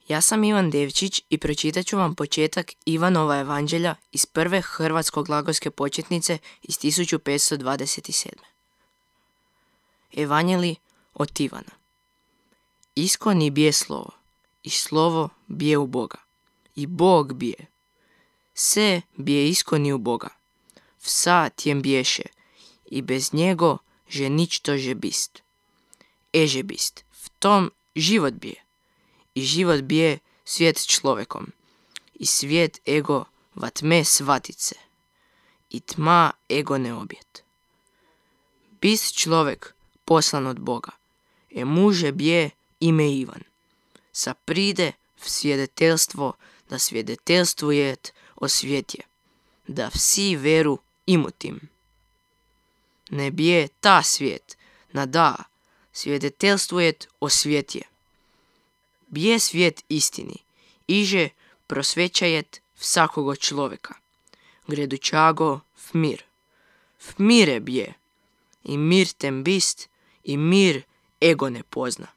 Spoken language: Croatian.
Ja sam Ivan Devčić i pročitat ću vam početak Ivanova evanđelja iz prve hrvatsko-glagolske početnice iz 1527. Evanđelji od Ivana. Iskoni bije slovo, i slovo bije u Boga, i Bog bije. Se bije iskoni u Boga, vsa tjem biješe, i bez njego že ničto že bist. Eže bist, v tom život bije, i život bije svijet človekom, i svijet ego va tme svatice, i tma ego ne objet. Bist človek poslan od Boga, muže bije ime Ivan. Sa pride v svjedetelstvo, da svjedetelstvujet o svjetje, da vsi veru imutim. Ne bije ta svijet, na da, svjedetelstvujet o svjetje. Bije svijet istini, iže prosvećajet vsakogo človeka. Gredućago v mir. V mire bije, i mir tem bist, i mir ego ne pozna.